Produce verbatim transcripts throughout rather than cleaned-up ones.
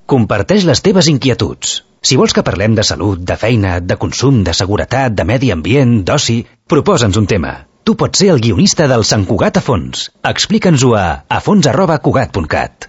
Comparteix les teves inquietuds. Si vols que parlem de salut, de feina, de consum, de seguretat, de medi ambient, d'oci, proposa'ns un tema. Tu pots ser el guionista del Sant Cugat a fons. Explica'ns-ho a afons arroba cugat punt cat.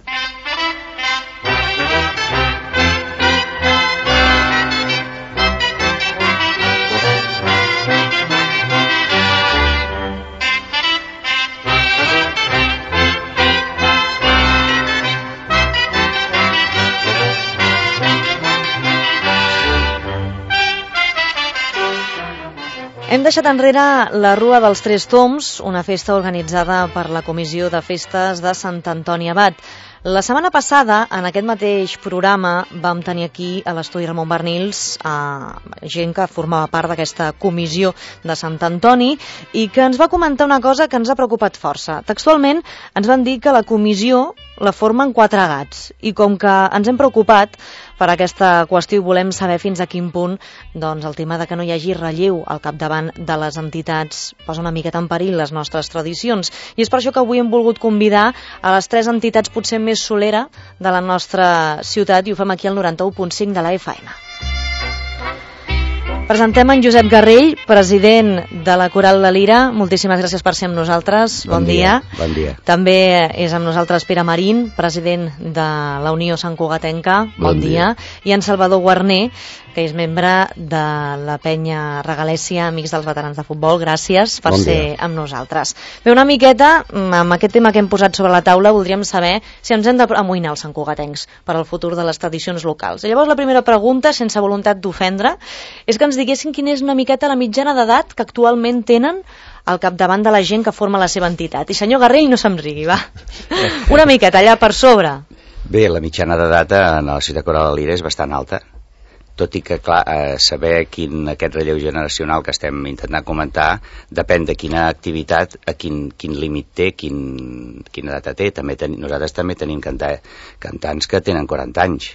Hem deixat enrere la Rua dels Tres Tombs, una festa organitzada per la Comissió de Festes de Sant Antoni Abat. La setmana passada, en aquest mateix programa, vam tenir aquí a l'estudi Ramon Barnils a gent que formava part d'aquesta comissió de Sant Antoni i que ens va comentar una cosa que ens ha preocupat força. Textualment ens van dir que la comissió la formen quatre gats i com que ens hem preocupat per aquesta qüestió i volem saber fins a quin punt doncs, el tema de que no hi hagi relleu al capdavant de les entitats posa una miqueta en perill les nostres tradicions. I és per això que avui hem volgut convidar a les tres entitats potser més solera de la nostra ciutat i ho fem aquí al noranta-u punt cinc de la F M. Presentem en Josep Garrell, president de la Coral de Lira. Moltíssimes gràcies per ser amb nosaltres. Bon, bon dia. dia. Bon dia. També és amb nosaltres Pere Marín, president de la Unió Sant Cugatenca. Bon, bon dia. dia. I en Salvador Guarner, que és membre de la penya Regalèssia, Amics dels Veterans de Futbol. Gràcies per bon ser dia. Amb nosaltres. Bé, una miqueta, amb aquest tema que hem posat sobre la taula, voldríem saber si ens hem d'amoïnar els santcugatencs per al futur de les tradicions locals. I llavors la primera pregunta, sense voluntat d'ofendre, és que ens diguessin quina és una miqueta la mitjana d'edat que actualment tenen al capdavant de la gent que forma la seva entitat. I senyor Garrell, no se'm rigui, va. Una miqueta, allà per sobre. Bé, la mitjana d'edat en la ciutat Coral de Lira és bastant alta. Tot i que, clar, eh, saber quin aquest relleu generacional que estem intentant comentar depèn de quina activitat, a quin, quin límit té, quin, quina data té. També ten, nosaltres també tenim canta, cantants que tenen quaranta anys,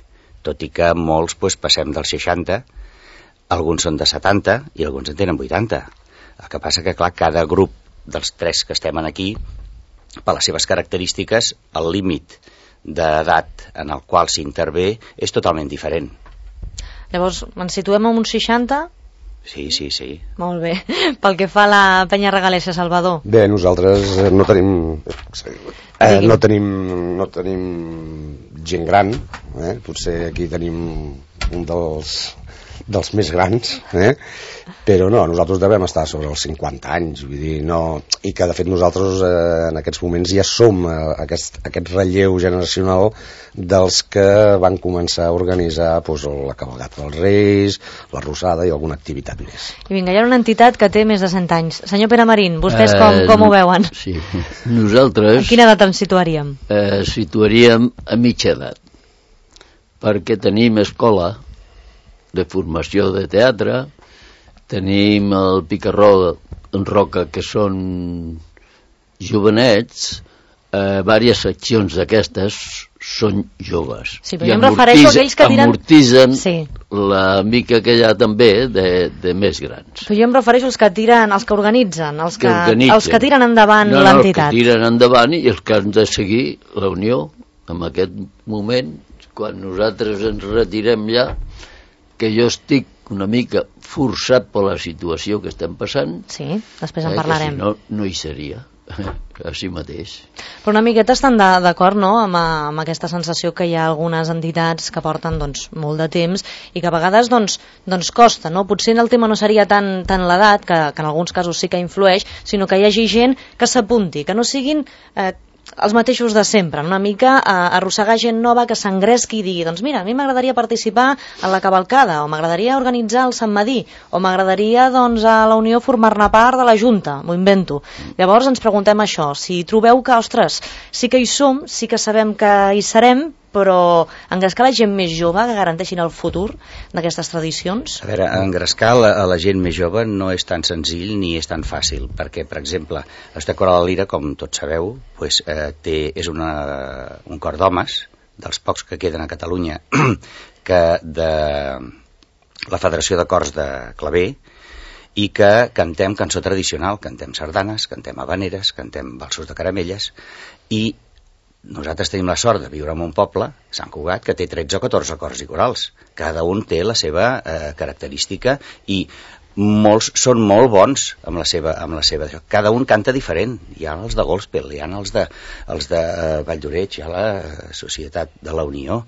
tot i que molts pues, passem dels seixanta, alguns són de setanta i alguns en tenen vuitanta. El que passa que, clar, cada grup dels tres que estem aquí, per les seves característiques, el límit d'edat en el qual s'intervé és totalment diferent. Llavors, ens situem en uns seixanta? Sí, sí, sí. Molt bé. Pel que fa a la penya Regalèssia, Salvador? Bé, nosaltres no tenim... Eh, no tenim no tenim gent gran, eh? Potser aquí tenim un dels, dels més grans, eh? Però no, nosaltres devem estar sobre els cinquanta anys, vull dir, no... I que, de fet, nosaltres eh, en aquests moments ja som eh, aquest, aquest relleu generacional dels que van començar a organitzar pues, la cavalgata dels Reis, la Rosada i alguna activitat més. I vinga, hi ha una entitat que té més de cent anys. Senyor Pere Marín, vostès com, com ho veuen? Sí, nosaltres... A quina edat ens situaríem? Eh, situaríem a mitja edat, perquè tenim escola de formació de teatre, tenim el Picarró en Roca, que són jovenets, eh, diverses seccions d'aquestes són joves. Sí, però jo em refereixo a aquells que tiren... Amortitzen sí. la mica que hi ha també de, de més grans. Però jo em refereixo als que tiren, als que organitzen, als que, que, organitzen. Els que tiren endavant no, no, l'entitat. Els que tiren endavant i els que han de seguir la Unió. En aquest moment, quan nosaltres ens retirem ja, que jo estic una mica forçat per la situació que estem passant. Sí, després en eh, parlarem. Si no, no hi seria, així mateix. Però una miqueta estan d'acord, no?, amb, amb aquesta sensació que hi ha algunes entitats que porten doncs, molt de temps i que a vegades doncs, doncs costa, no? Potser el tema no seria tant, tant l'edat, que, que en alguns casos sí que influeix, sinó que hi hagi gent que s'apunti, que no siguin... Eh, els mateixos de sempre, una mica a arrossegar gent nova que s'engresqui i digui, doncs mira, a mi m'agradaria participar en la cavalcada, o m'agradaria organitzar el Sant Madí, o m'agradaria doncs a la Unió formar-ne part de la Junta, m'ho invento. Llavors ens preguntem això, si trobeu que, ostres, sí que hi som, sí que sabem que hi serem, però engrescar la gent més jove que garanteixin el futur d'aquestes tradicions? A veure, engrescar la, a la gent més jove no és tan senzill ni és tan fàcil, perquè, per exemple, la ciutat Coral de Lira, com tots sabeu, pues, eh, té, és una, un cor d'homes, dels pocs que queden a Catalunya, que de la Federació de Cors de Claver, i que cantem cançó tradicional, cantem sardanes, cantem habaneres, cantem balsos de caramelles, i nosaltres tenim la sort de viure en un poble, Sant Cugat, que té tretze o catorze cors i corals. Cada un té la seva eh, característica i molts són molt bons amb la seva, amb la seva... Cada un canta diferent. Hi ha els de Gospel, hi ha els de, els de eh, Vall d'Oreig, hi ha la Societat de la Unió,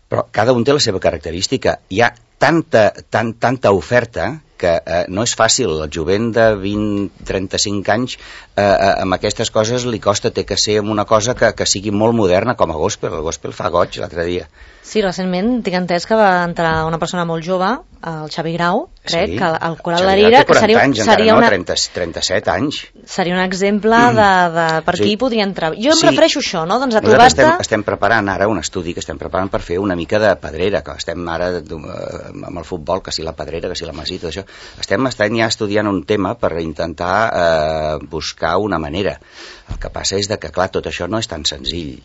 però cada un té la seva característica. Hi ha tanta, tan, tanta oferta que eh, no és fàcil. El jovent de vint a trenta-cinc anys eh, eh, amb aquestes coses li costa, té que ser una cosa que, que sigui molt moderna, com a gospel. El gospel fa goig l'altre dia. Sí, recentment tinc entès que va entrar una persona molt jove, el Xavi Grau, crec, sí, que el Coral La Lira, que seria, anys, seria no, una... trenta, trenta-set anys. Seria un exemple mm. de, de per sí. Qui podria entrar. Jo em sí. refereixo a això, no? Doncs a Nosaltres estem, estem preparant ara un estudi que estem preparant per fer una mica de pedrera, que estem ara amb el futbol, que si la pedrera, que si la masita, això. Estem estem ja estudiant un tema per intentar eh, buscar una manera. El que passa és de que, clar, tot això no és tan senzill,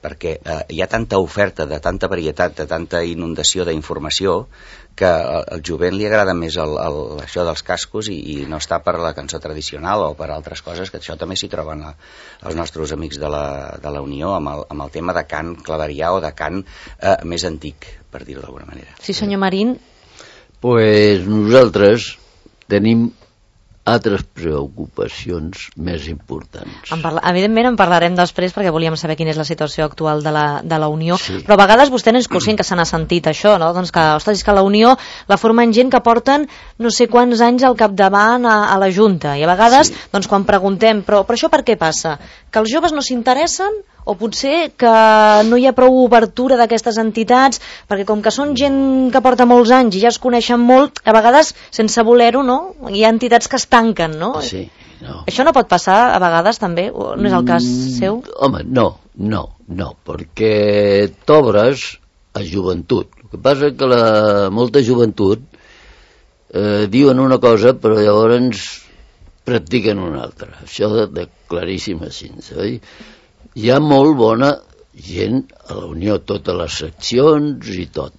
perquè eh, hi ha tanta oferta, de tanta varietat, de tanta inundació d'informació, que al, al jovent li agrada més el, el, això dels cascos i, i no està per la cançó tradicional o per altres coses, que això també s'hi troben a, els nostres amics de la, de la Unió amb el, amb el tema de cant claverià o de cant eh, més antic, per dir-ho d'alguna manera. Sí, senyor Marín. Pues nosaltres tenim altres preocupacions més importants. En parla... Evidentment en parlarem després perquè volíem saber quina és la situació actual de la, de la Unió, sí. Però a vegades vostè no és conscient que se n'ha sentit això, no? Doncs que, ostres, és que la Unió la formen gent que porten no sé quants anys al capdavant a, a la Junta, i a vegades, sí. Doncs quan preguntem, però, però això per què passa? Que els joves no s'interessen? O potser que no hi ha prou obertura d'aquestes entitats, perquè com que són gent que porta molts anys i ja es coneixen molt, a vegades, sense voler-ho, no? Hi ha entitats que es tanquen, no? Sí, no. Això no pot passar a vegades també? O no és el cas seu? Home, no, no, no, perquè t'obres a joventut. El que passa és que la molta joventut eh, diuen una cosa però llavors practiquen una altra. Això de, de claríssim així, oi? Hi ha molt bona gent a la Unió, totes les seccions i tot,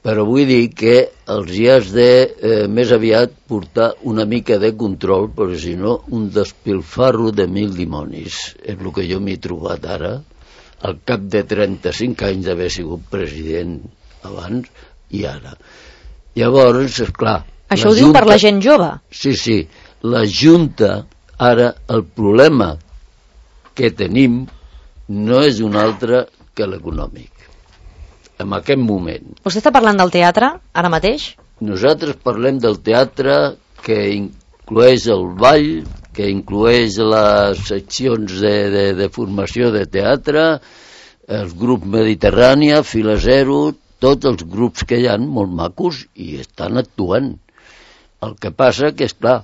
però vull dir que els hi has de eh, més aviat portar una mica de control, perquè si no un despilfarro de mil dimonis és el que jo m'he trobat ara al cap de trenta-cinc anys d'haver sigut president abans i ara. Llavors, esclar, això ho diu Junta... per la gent jove? Sí, sí, la Junta ara, el problema que tenim no és un altre que l'econòmic. En aquest moment. Vostè està parlant del teatre, ara mateix? Nosaltres parlem del teatre que inclueix el ball, que inclueix les seccions de, de, de formació de teatre, els grups Mediterrània, Fila Zero, tots els grups que hi ha, molt macos, i estan actuant. El que passa que, és clar,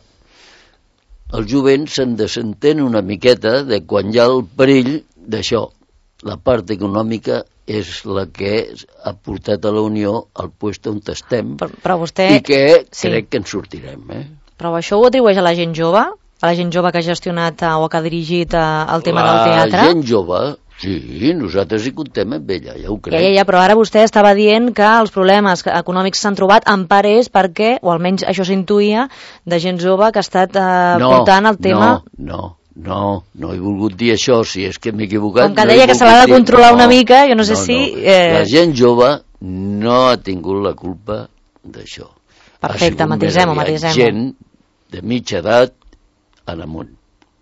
el jovent se'n desentén una miqueta de quan hi ha el perill d'això. La part econòmica és la que ha portat a la Unió al lloc on estem, però, però vostè... i que sí. Crec que en sortirem. Eh? Però això ho atribueix a la gent jove? A la gent jove que ha gestionat o que ha dirigit el tema la del teatre? La gent jove, sí, nosaltres hi comptem amb ella, ja ho crec. Ja, ja, ja, però ara vostè estava dient que els problemes econòmics s'han trobat en part és perquè, o almenys això s'intuïa, de gent jove que ha estat eh, no, portant el tema... No, no. No, no he volgut dir això, si és que m'he equivocat. Com que no deia que se l'ha de controlar dir... una mica, jo no sé no, si... No. Eh... La gent jove no ha tingut la culpa d'això. Perfecte, matisem-ho, matisem-ho. Gent de mitja edat en amunt.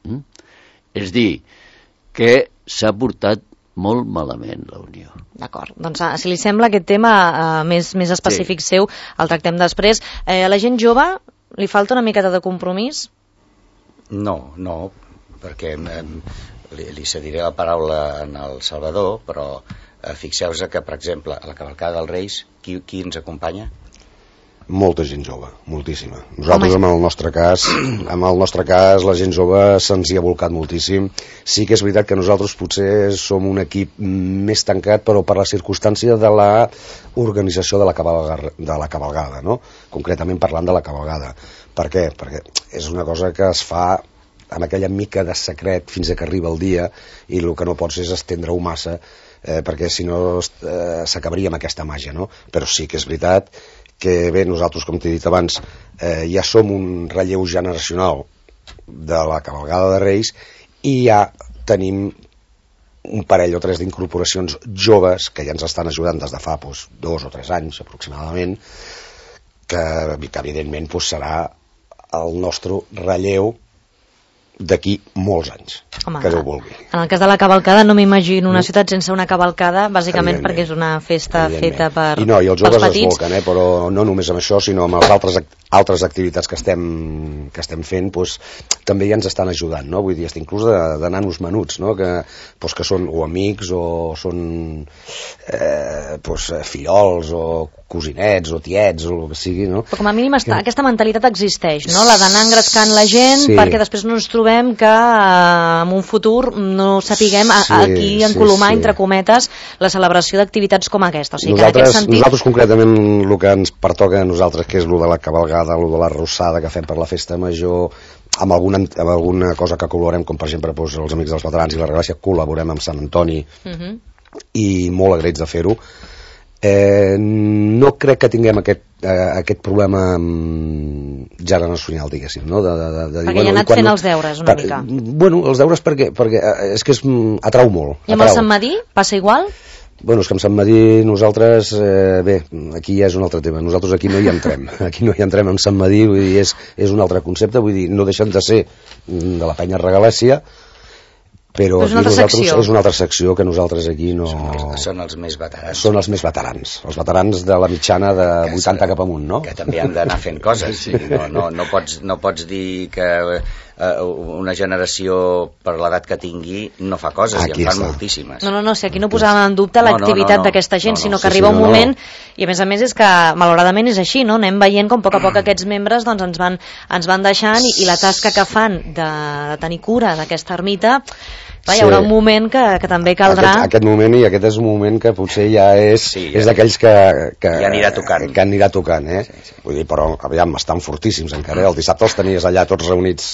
Mm? És dir, que s'ha portat molt malament la Unió. D'acord, doncs si li sembla aquest tema eh, més, més específic sí. Seu, el tractem després. Eh, a la gent jove li falta una miqueta de compromís? No, no, perquè eh, li, li cediré la paraula en el Salvador, però eh, fixeu-vos que, per exemple, a la cavalcada dels Reis, qui, qui ens acompanya? Molta gent jove, moltíssima. Nosaltres, en el nostre cas, en el nostre cas, la gent jove se'ns hi ha volcat moltíssim. Sí que és veritat que nosaltres potser som un equip més tancat, però per la circumstància de la organització de la cavalgada, de la cavalgada, no? Concretament parlant de la cavalgada. Per què? Perquè és una cosa que es fa amb aquella mica de secret fins a que arriba el dia, i el que no pots és estendre-ho massa, eh, perquè si no eh, s'acabaria amb aquesta màgia, no? Però sí que és veritat que bé, nosaltres, com t'he dit abans, eh, ja som un relleu generacional de la cavalgada de Reis, i ja tenim un parell o tres d'incorporacions joves que ja ens estan ajudant des de fa doncs, dos o tres anys aproximadament, que, que evidentment doncs, serà el nostre relleu d'aquí molts anys. Home, que Déu vulgui. En el cas de la cavalcada no m'imagino una ciutat sense una cavalcada, bàsicament perquè és una festa feta per I no, i els joves es volquen, eh, però no només amb això, sinó amb les altres, altres activitats que estem, que estem fent, doncs, també ja ens estan ajudant, no? Vull dir, inclús de, de nanos menuts, no? que, doncs, que són o amics o són eh, doncs, fillols o cosinets o tiets o el que sigui, no? Però com a mínim està, aquesta mentalitat existeix, no? La d'anar engrescant la gent, sí, perquè després no ens trobem que eh, en un futur no sapiguem a, a aquí encolomar, sí, sí, entre cometes, la celebració d'activitats com aquesta. O sigui, nosaltres, que en aquest sentit... nosaltres concretament el que ens pertoca a nosaltres, que és el de la cavalgada, el de la rossada que fem per la festa major, amb alguna, amb alguna cosa que col·laborem, com per exemple doncs, els Amics dels Veterans i la Regràcia, col·laborem amb Sant Antoni, uh-huh, i molt agraïts de fer-ho. Eh, no crec que tinguem aquest, eh, aquest problema generacional, diguéssim, no? De, de, de, de perquè dir, ja ha anat fent no, els deures una per, mica. Bueno, els deures perquè, perquè és que és, atrau molt. I amb atrau. el Sant Madí passa igual? Bueno, és que amb Sant Madí nosaltres, eh, bé, aquí ja és un altre tema, nosaltres aquí no hi entrem, aquí no hi entrem amb Sant Madí, vull dir, és, és un altre concepte, vull dir, no deixen de ser de la penya Regalèssia, però és una, és una altra secció que nosaltres aquí no... Són els, són els més veterans. Són els més veterans, els veterans de la mitjana de que vuitanta cap amunt, no? Que també han d'anar fent coses, sí. no, no, no, pots, no pots dir que eh, una generació per l'edat que tingui no fa coses, aquí i en fan està. Moltíssimes. No, no, no, si aquí no posàvem en dubte l'activitat no, no, no, d'aquesta gent, no, no, sinó que sí, arriba sí, un no, moment, no. I a més a més és que malauradament és així, no? Anem veient com a poc a poc aquests membres doncs, ens, van, ens van deixant i, i la tasca que fan de, de tenir cura d'aquesta ermita, clar, hi haurà un moment que, que també caldrà... Aquest, aquest moment, i aquest és un moment que potser ja és, sí, ja és d'aquells que, que... Ja anirà tocant. Que anirà tocant, eh? Sí, sí. Vull dir, però, aviam, estan fortíssims encara, eh? El dissabte els tenies allà tots reunits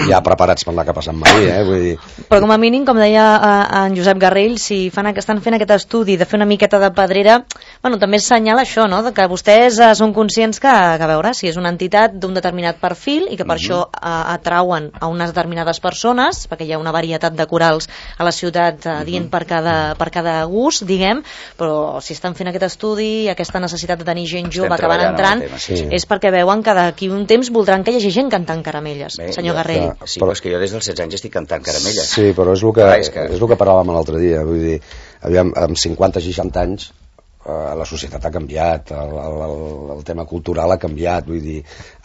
ja preparats per anar cap a Sant Madí, eh? Vull dir... Però com a mínim, com deia uh, en Josep Garrell, si fan, estan fent aquest estudi de fer una miqueta de pedrera, bueno, també assenyala això, no?, de que vostès uh, són conscients que, que, a veure, si és una entitat d'un determinat perfil i que per mm-hmm. això uh, atrauen a unes determinades persones, perquè hi ha una varietat de corals a la ciutat uh, dient per cada, per cada gust, diguem, però si estan fent aquest estudi, aquesta necessitat de tenir gent jove que van entrant, tema, sí. És perquè veuen que d'aquí un temps voldran que hi hagi gent cantant Caramelles. Bé, senyor Garrell. Que, sí, però és que jo des dels setze anys estic cantant Caramelles. Sí, però és el que, ah, és que... és el que parlàvem l'altre dia, vull dir, aviam, amb cinquanta seixanta anys Uh, la societat ha canviat, el, el, el tema cultural ha canviat, vull dir,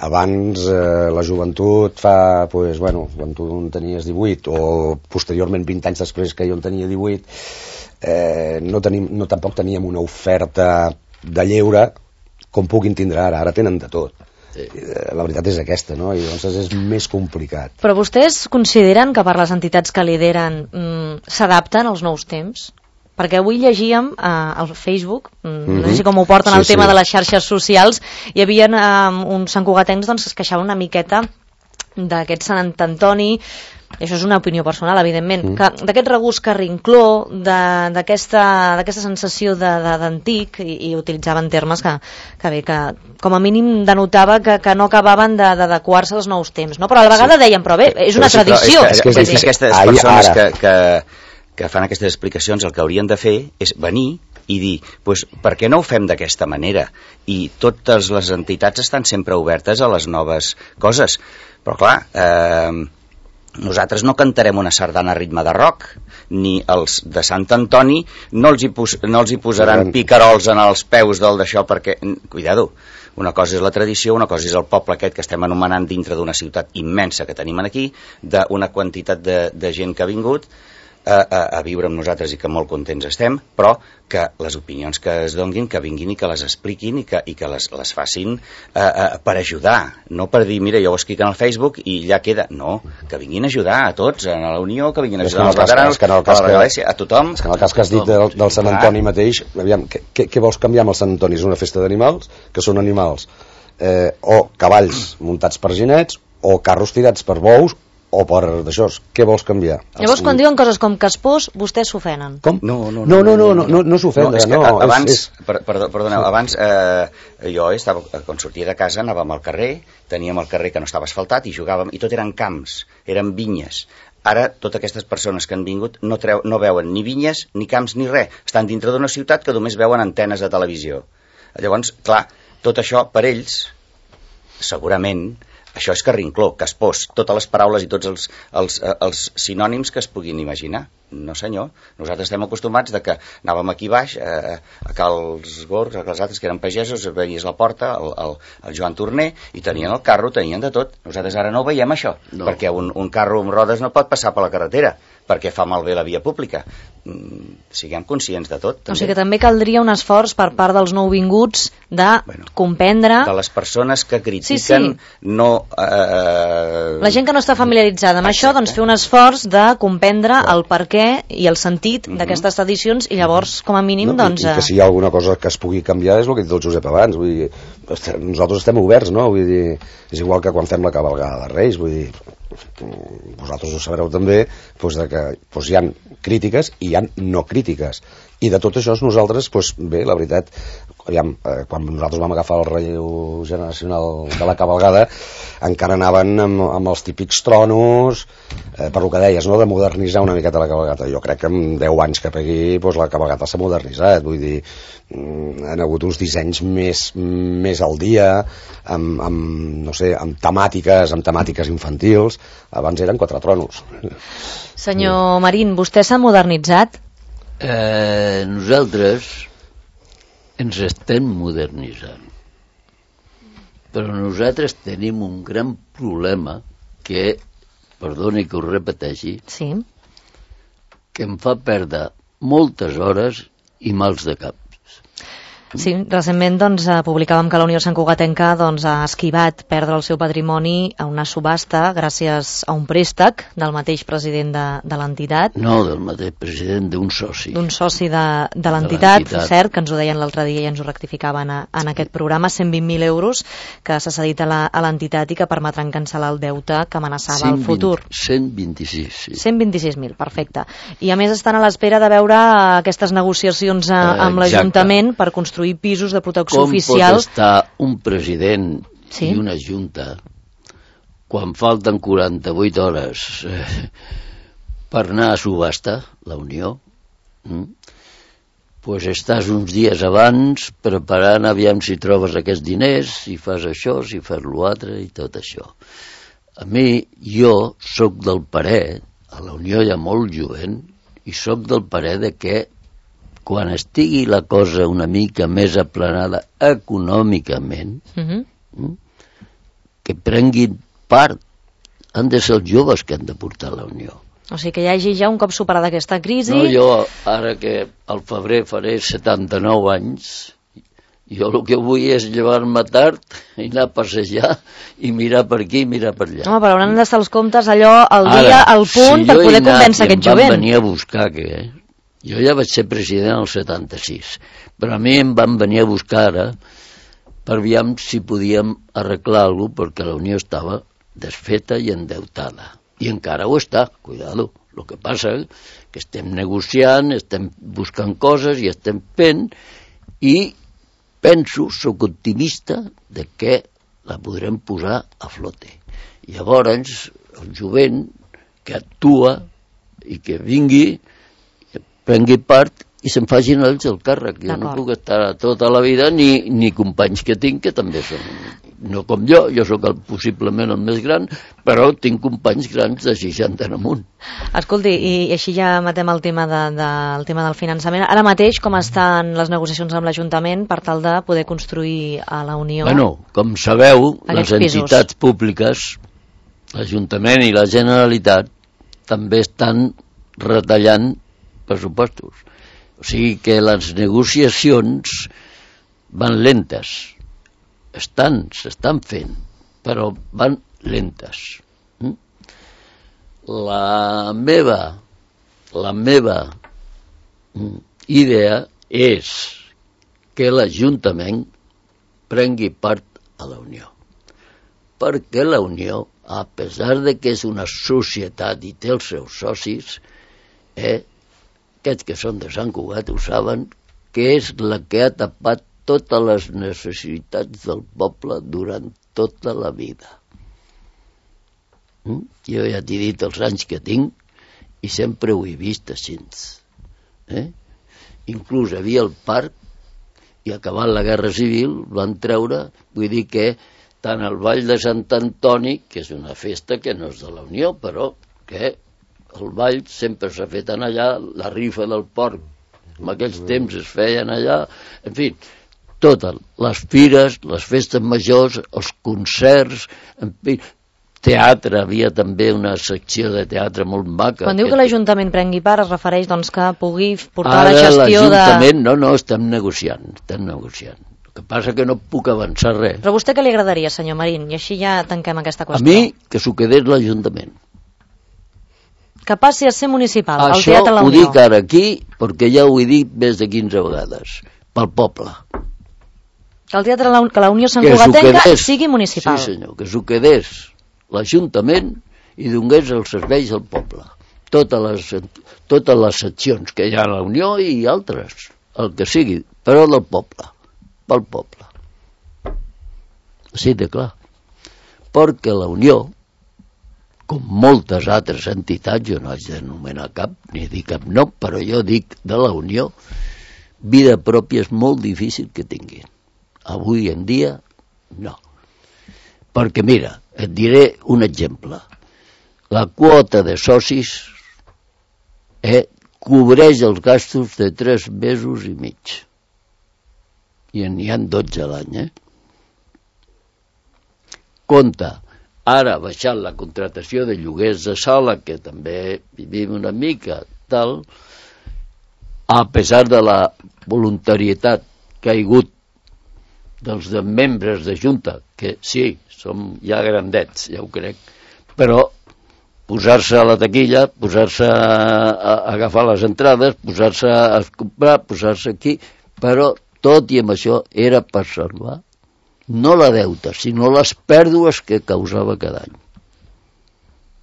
abans uh, la joventut fa, pues, bueno, quan tu en tenies divuit o posteriorment vint anys després que jo en tenia divuit, eh, no, tenim, no tampoc teníem una oferta de lleure com puguin tindre ara, ara tenen de tot. Sí. La veritat és aquesta, no? I llavors és més complicat. Però vostès consideren que per les entitats que lideren mm, s'adapten als nous temps? Perquè avui llegíem eh, al Facebook, mm-hmm. no sé com ho porten sí, el tema sí. de les xarxes socials, hi havia eh, uns santcugatencs doncs, que es queixaven una miqueta d'aquest Sant Antoni, i això és una opinió personal, evidentment, mm. que d'aquest regust carrincló, d'aquesta sensació d'antic, i, i utilitzaven termes que, que bé, que com a mínim denotava que, que no acabaven d'adequar-se als nous temps, no? Però a la vegada sí. deien, però bé, és una però sí, tradició. És que, és que, és que aquestes persones que... que que fan aquestes explicacions, el que haurien de fer és venir i dir, pues, per què no ho fem d'aquesta manera? I totes les entitats estan sempre obertes a les noves coses. Però clar, eh, nosaltres no cantarem una sardana a ritme de rock, ni els de Sant Antoni no els hi, pos, no els hi posaran picarols en els peus del d'això, perquè, cuidado, una cosa és la tradició, una cosa és el poble aquest que estem anomenant dintre d'una ciutat immensa que tenim aquí, d'una quantitat de, de gent que ha vingut, A, a, a viure amb nosaltres i que molt contents estem, però que les opinions que es donguin, que vinguin i que les expliquin i que, i que les, les facin a, a, per ajudar, no per dir, mira, jo ho escric en el Facebook i ja queda, no, que vinguin a ajudar a tots, a la Unió, que vinguin a ajudar als veterans, a la Regalèssia, a tothom. És que en el cas que has dit del, del Sant Antoni mateix, aviam, què, què vols canviar amb el Sant Antoni? És una festa d'animals, que són animals eh, o cavalls muntats per ginets, o carros tirats per bous, o per d'això, què vols canviar? Llavors, quan diuen coses com caspós, vostès s'ofenen. Com? No, no, no, no, no, no, no, no s'ofenen. No, és que no, abans, és, és... Per, perdó, perdoneu, abans eh, jo estava, quan sortia de casa anàvem al carrer, teníem el carrer que no estava asfaltat i jugàvem, i tot eren camps, eren vinyes. Ara, totes aquestes persones que han vingut no, treu, no veuen ni vinyes, ni camps, ni res. Estan dintre d'una ciutat que només veuen antenes de televisió. Llavors, clar, tot això, per ells, segurament, això és carrincló, caspós, totes les paraules i tots els, els, els sinònims que es puguin imaginar. No senyor, nosaltres estem acostumats de que anàvem aquí baix, eh, a Cals Gorgs, a Cals altres que eren pagesos, veies la porta, el, el, el Joan Torner, i tenien el carro, tenien de tot. Nosaltres ara no ho veiem això, no. Perquè un, un carro amb rodes no pot passar per la carretera, perquè fa malbé la via pública. Mm, siguem conscients de tot. També. O sigui que també caldria un esforç per part dels nouvinguts de bueno, comprendre... De les persones que critiquen, sí, sí. no... Eh... La gent que no està familiaritzada amb Exacte. Això, doncs fer un esforç de comprendre Clar. El perquè i el sentit uh-huh. d'aquestes tradicions i llavors, com a mínim, no, doncs... I, i que si hi ha alguna cosa que es pugui canviar és el que ha dit el Josep abans, vull dir, nosaltres estem oberts, no? Vull dir, és igual que quan fem la cavalgada de Reis, vull dir, vosaltres ho sabreu també, doncs de que doncs hi ha crítiques i hi ha no crítiques, i de tot això nosaltres, doncs bé, la veritat, aviam, eh, quan nosaltres vam agafar el relleu generacional de la cavalgada, encara anaven amb, amb els típics tronos, eh, per lo que deies, no?, de modernitzar una miqueta la cavalgata. Jo crec que en deu anys que pegui, doncs la cavalgata s'ha modernitzat, vull dir, han hagut uns dissenys més, més al dia, amb, amb, no sé, amb temàtiques, amb temàtiques infantils. Abans eren quatre tronos. Senyor Marín, vostè s'ha modernitzat? Eh, nosaltres ens estem modernitzant, però nosaltres tenim un gran problema que, perdoni que ho repeteixi, sí. que em fa perdre moltes hores i mals de cap. Sí, recentment doncs, publicàvem que la Unió Santcugatenca doncs, ha esquivat perdre el seu patrimoni a una subhasta gràcies a un préstec del mateix president de, de l'entitat. No, del mateix president, d'un soci. D'un soci de, de l'entitat, cert, que ens ho deien l'altre dia i ens ho rectificaven a, en aquest programa, cent vint mil euros que s'ha cedit a l'entitat i que permetran cancel·lar el deute que amenaçava el futur. cent vint-i-sis, sí. cent vint-i-sis mil, perfecte. I a més estan a l'espera de veure aquestes negociacions a, amb l'Ajuntament per construir pisos de protecció Com oficial. Com pot estar un president sí? i una junta quan falten quaranta-vuit hores eh, per anar a subhasta, la Unió? Mm? Pues estàs uns dies abans preparant aviam si trobes aquests diners, si fas això, si fas l'altre i tot això. A mi, jo sóc del parer, a la Unió hi ha molt jovent, i sóc del parer de que quan estigui la cosa una mica més aplanada econòmicament, uh-huh. que prenguin part, han de ser els joves que han de portar la Unió. O sigui que hi hagi ja un cop superada aquesta crisi... No, jo, ara que al febrer faré setanta-nou anys, jo el que vull és llevar-me tard i anar a passejar i mirar per aquí i mirar per allà. Home, però hauran d'estar els comptes allò al dia, al punt, si per poder convèncer aquest jovent. Em van venir a buscar, que... Eh? Jo ja vaig ser president al setanta-sis, però a mi em van venir a buscar ara per veure si podíem arreglar alguna cosa perquè la Unió estava desfeta i endeutada. I encara ho està, cuidado. El que passa és que estem negociant, estem buscant coses i estem fent i penso, sóc optimista de que la podrem posar a flote. Llavors, el jovent que actua i que vingui prengui part i se'n facin ells el càrrec. Jo no puc estar tota la vida ni, ni companys que tinc que també són, no com jo, jo sóc el, possiblement el més gran, però tinc companys grans de seixanta en amunt. Escolti, i així ja matem el tema, de, de, el tema del finançament. Ara mateix com estan les negociacions amb l'Ajuntament per tal de poder construir a la Unió? Bueno, com sabeu, les entitats pisos. Públiques, l'Ajuntament i la Generalitat, també estan retallant pressupostos. O sigui que les negociacions van lentes. Estan, s'estan fent, però van lentes. La meva, la meva idea és que l'Ajuntament prengui part a la Unió. Perquè la Unió, a pesar de que és una societat i té els seus socis, eh, aquests que són de Sant Cugat ho saben, que és la que ha tapat totes les necessitats del poble durant tota la vida. Mm? Jo ja t'he dit els anys que tinc i sempre ho he vist així. Eh? Inclús havia el parc i acabat la Guerra Civil van treure, vull dir que tant el Ball de Sant Antoni, que és una festa que no és de la Unió, però que el ball sempre s'ha fet en allà, la rifa del porc, en aquells temps es feien allà, en fi, totes les fires, les festes majors, els concerts, en fi, teatre, havia també una secció de teatre molt maca. Quan diu que l'Ajuntament prengui part, es refereix doncs que pugui portar Ara, la gestió de... Ara l'Ajuntament, no, no, estem negociant, estem negociant. El que passa que no puc avançar res. Però a vostè què li agradaria, senyor Marín? I així ja tanquem aquesta qüestió. A mi, que s'ho quedés l'Ajuntament. Que passi a ser municipal, el Això Teatre La ho Unió. dic ara aquí, perquè ja ho he dit més de quinze vegades, pel poble. Que el Teatre La, que la Unió Sant Que s'ho Cugatenca quedés. sigui municipal. Sí, senyor, que s'ho quedés l'Ajuntament i donés els serveis al poble. Totes les, totes les seccions que hi ha a la Unió i altres, el que sigui, però del poble, pel poble. Així de clar. Perquè la Unió, com moltes altres entitats, jo no haig d'anomenar cap, ni dir cap nom, però jo dic de la Unió, vida pròpia és molt difícil que tinguin. Avui en dia, no. Perquè mira, et diré un exemple. La quota de socis eh, cobreix els gastos de tres mesos i mig. I n'hi ha dotze a l'any, eh? Compte, ara ha baixat la contractació de lloguers de sala, que també vivim una mica, tal, a pesar de la voluntarietat que ha hagut dels de membres de Junta, que sí, som ja grandets, ja ho crec, però posar-se a la taquilla, posar-se a, a agafar les entrades, posar-se a comprar, posar-se aquí, però tot i amb això era per salvar no la deuta, sinó les pèrdues que causava cada any.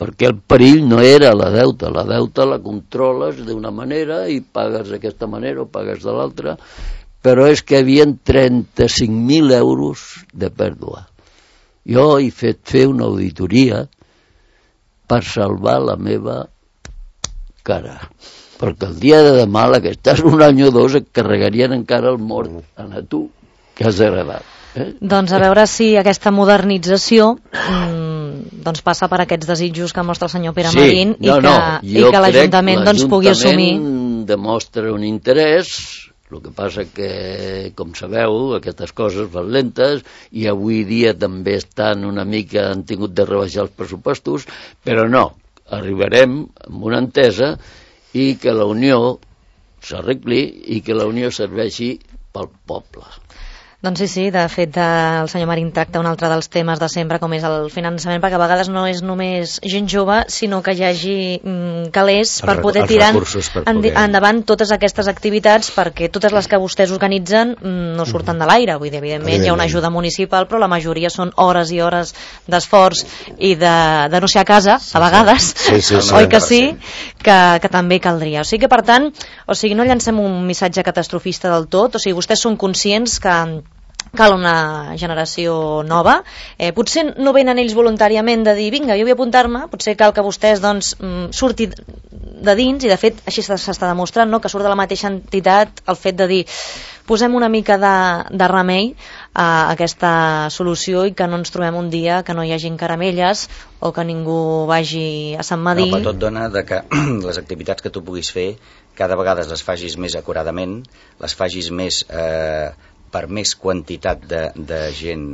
Perquè el perill no era la deuta, la deuta la controles d'una manera i pagues d'aquesta manera o pagues de l'altra, però és que hi havia trenta-cinc mil euros de pèrdua. Jo he fet fer una auditoria per salvar la meva cara, perquè el dia de demà, la que estàs un any o dos, et carregarien encara el mort a tu, que has agradat. Eh? Doncs a veure si aquesta modernització mmm, doncs passa per aquests desitjos que mostra el senyor Pere sí, Marín i no, que, no, i que l'Ajuntament doncs, pugui assumir. L'Ajuntament demostra un interès, el que passa que, com sabeu, aquestes coses van lentes i avui dia també estan una mica, han tingut de rebaixar els pressupostos, però no, arribarem amb una entesa i que la Unió s'arregli i que la Unió serveixi pel poble. Doncs sí, sí, de fet el senyor Marín tracta un altre dels temes de sempre, com és el finançament, perquè a vegades no és només gent jove, sinó que hi hagi mm, calés per poder tirar poder... endavant totes aquestes activitats, perquè totes les que vostès organitzen mm, no surten de l'aire. Vull dir, evidentment hi ha una ajuda municipal, però la majoria són hores i hores d'esforç i de, de no ser a casa, a vegades, sí, sí, sí, oi que sí, que, que també caldria. O sigui que, per tant, o sigui, no llancem un missatge catastrofista del tot, o sigui, vostès són conscients que cal una generació nova, eh, potser no venen ells voluntàriament de dir vinga, jo vull apuntar-me, potser cal que vostès doncs, surti de dins, i de fet així s'està demostrant, no? Que surt de la mateixa entitat el fet de dir posem una mica de, de remei a aquesta solució i que no ens trobem un dia que no hi hagi caramelles o que ningú vagi a Sant Madí. No, però tot dona de que les activitats que tu puguis fer cada vegada les facis més acuradament, les facis més eh, per més quantitat de, de gent,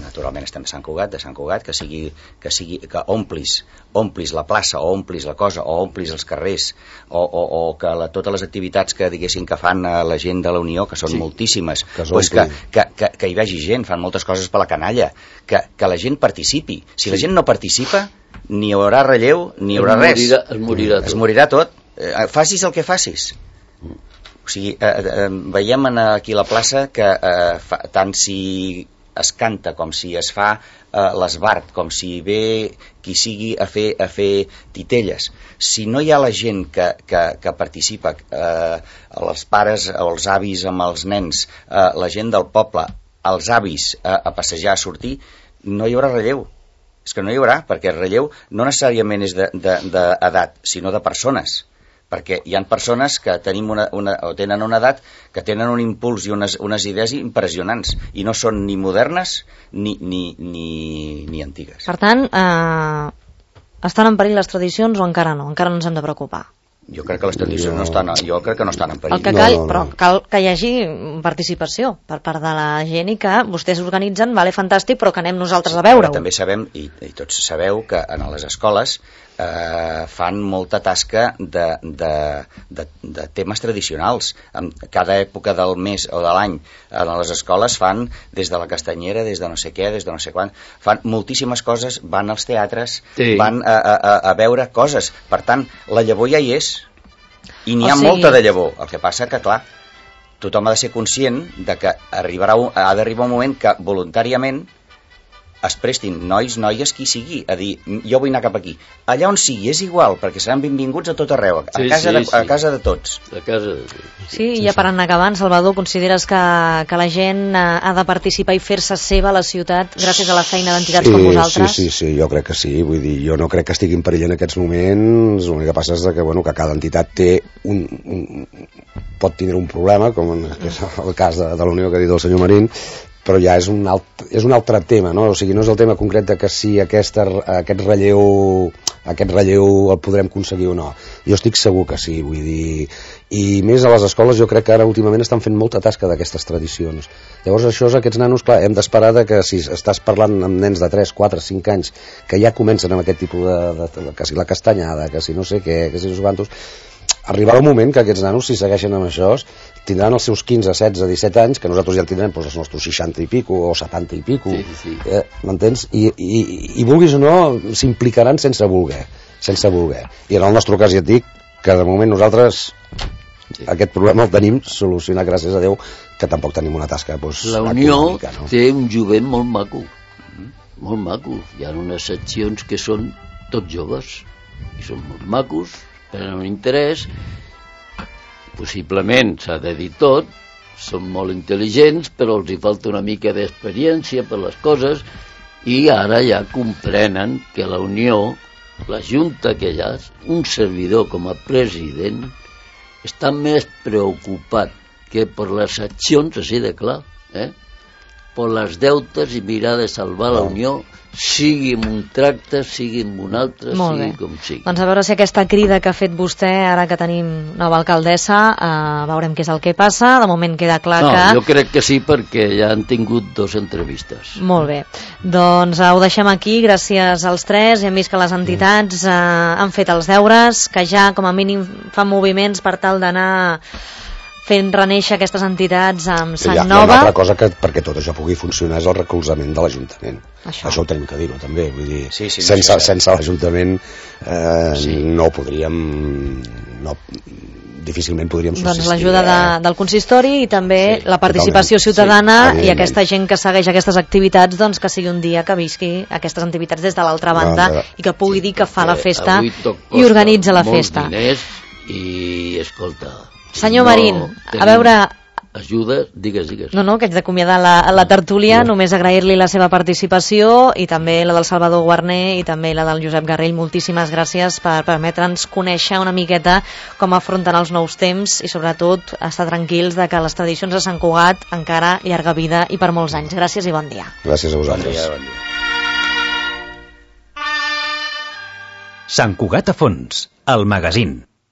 naturalment estem a Sant Cugat, de Sant Cugat, que sigui, que sigui, que omplis, omplis la plaça, o omplis la cosa, o omplis els carrers, o, o, o que la, totes les activitats que diguessin que fan a la gent de la Unió, que són sí, moltíssimes, que, pues que, que, que, que hi vagi gent, fan moltes coses per la canalla, que, que la gent participi. Si sí. La gent no participa, ni hi haurà relleu, ni hi haurà es res. Morirà, es morirà tot. Es morirà tot. Eh, facis el que facis. O sigui, eh, eh, veiem aquí a la plaça que eh, fa, tant si es canta com si es fa eh, l'esbart, com si ve qui sigui a fer, a fer titelles. Si no hi ha la gent que, que, que participa, eh, els pares o els avis amb els nens, eh, la gent del poble, els avis eh, a passejar, a sortir, no hi haurà relleu. És que no hi haurà, perquè el relleu no necessàriament és d'edat, sinó de persones. Perquè hi ha persones que tenim una, una, o tenen una edat que tenen un impuls i unes, unes idees impressionants i no són ni modernes ni, ni, ni, ni antigues. Per tant, eh, estan en perill les tradicions o encara no? Encara no ens hem de preocupar? Jo crec que les tradicions no, no estan, jo crec que no estan en perill. El que cal, no, no, no. Però cal que hi hagi participació per part de la gent i que vostès organitzen, vale, fantàstic, però que anem nosaltres a veure-ho. També sabem, i, i tots sabeu, que en les escoles eh, fan molta tasca de, de, de, de temes tradicionals. En cada època del mes o de l'any en les escoles fan des de la castanyera, des de no sé què, des de no sé quan, fan moltíssimes coses, van als teatres, sí. van a, a, a veure coses. Per tant, la llavor ja hi és. I n'hi ha o sigui... molta de llavor. El que passa que, clar, tothom ha de ser conscient de que arribarà, ha d'arribar un moment que voluntàriament es prestin nois, noies, qui sigui, a dir, jo vull anar cap aquí. Allà on sigui, és igual, perquè seran benvinguts a tot arreu, a, sí, casa, sí, de, a sí. casa de tots. A casa de tots. Sí, sí, ja per anar acabant, Salvador, consideres que, que la gent ha de participar i fer-se seva a la ciutat gràcies a la feina d'entitats sí, com vosaltres? Sí, sí, sí, jo crec que sí. Vull dir, jo no crec que estigui en perill en aquests moments. L'únic que passa és que, bueno, que cada entitat té un, un, pot tindre un problema, com en, és el cas de, de la Unió que ha dit el senyor Marín, però ja és un, alt, és un altre tema, no? O sigui, no és el tema concret de que si aquesta, aquest relleu aquest relleu el podrem aconseguir o no. Jo estic segur que sí, vull dir, i més a les escoles jo crec que ara últimament estan fent molta tasca d'aquestes tradicions. Llavors això és aquests nanos, clar, hem d'esperar que si estàs parlant amb nens de tres, quatre, cinc anys que ja comencen amb aquest tipus de, de, de que si la castanyada, que si no sé què, que si no sé quantos, arribarà un moment que aquests nanos, si segueixen amb això, tindran els seus quinze, setze, disset anys, que nosaltres ja en tindrem doncs, els nostres seixanta i pico o setanta i pico, sí, sí. Eh, m'entens? I, i, i vulguis o no, s'implicaran sense voler, sense voler. I en el nostre cas ja et dic que de moment nosaltres sí. aquest problema el tenim solucionat, gràcies a Déu, que tampoc tenim una tasca doncs, la Unió econòmica, no? Té un jovent molt maco, molt maco. Hi ha unes seccions que són tots joves i són molt macos, tenen un interès, possiblement s'ha de dir tot, són molt intel·ligents, però els hi falta una mica d'experiència per les coses, i ara ja comprenen que la Unió, la Junta que hi ha, un servidor com a president, està més preocupat que per les accions, així de clar, eh? per les deutes i mirar de salvar la Unió, sigui amb un tracte, sigui amb un altre, Molt sigui bé. com sigui. Doncs a veure si aquesta crida que ha fet vostè, ara que tenim nova alcaldessa, eh, veurem què és el que passa. De moment queda clar no, que... jo crec que sí, perquè ja han tingut dos entrevistes. Molt bé. Doncs eh, ho deixem aquí, gràcies als tres. Hem vist que les entitats eh, han fet els deures, que ja com a mínim fan moviments per tal d'anar fent reneixer aquestes entitats amb sang hi ha, nova. Hi ha una altra cosa que perquè tot això pugui funcionar és el recolzament de l'Ajuntament. Això. això ho tenim que dir-ho també, vull dir, sí, sí, no sense, sí, sí. sense l'Ajuntament eh, sí. no podríem no, difícilment podríem subsistir. Doncs l'ajuda de, del consistori i també sí, la participació totalment. ciutadana sí, i aquesta gent que segueix aquestes activitats, doncs que sigui un dia que visqui aquestes activitats des de l'altra banda no, i que pugui sí, dir que fa la festa i organitza la festa. Diners i escolta, senyor no Marín, a veure... Ajuda, digues, digues. No, no, que haig d'acomiadar la, la tertúlia, no. Només agrair-li la seva participació i també la del Salvador Guarner i també la del Josep Garrell. Moltíssimes gràcies per permetre'ns conèixer una miqueta com afronten els nous temps i sobretot estar tranquils de que les tradicions de Sant Cugat encara llarga vida i per molts anys. Gràcies i bon dia. Gràcies a vosaltres. Bon dia, bon dia. Sant Cugat a fons, el magazín.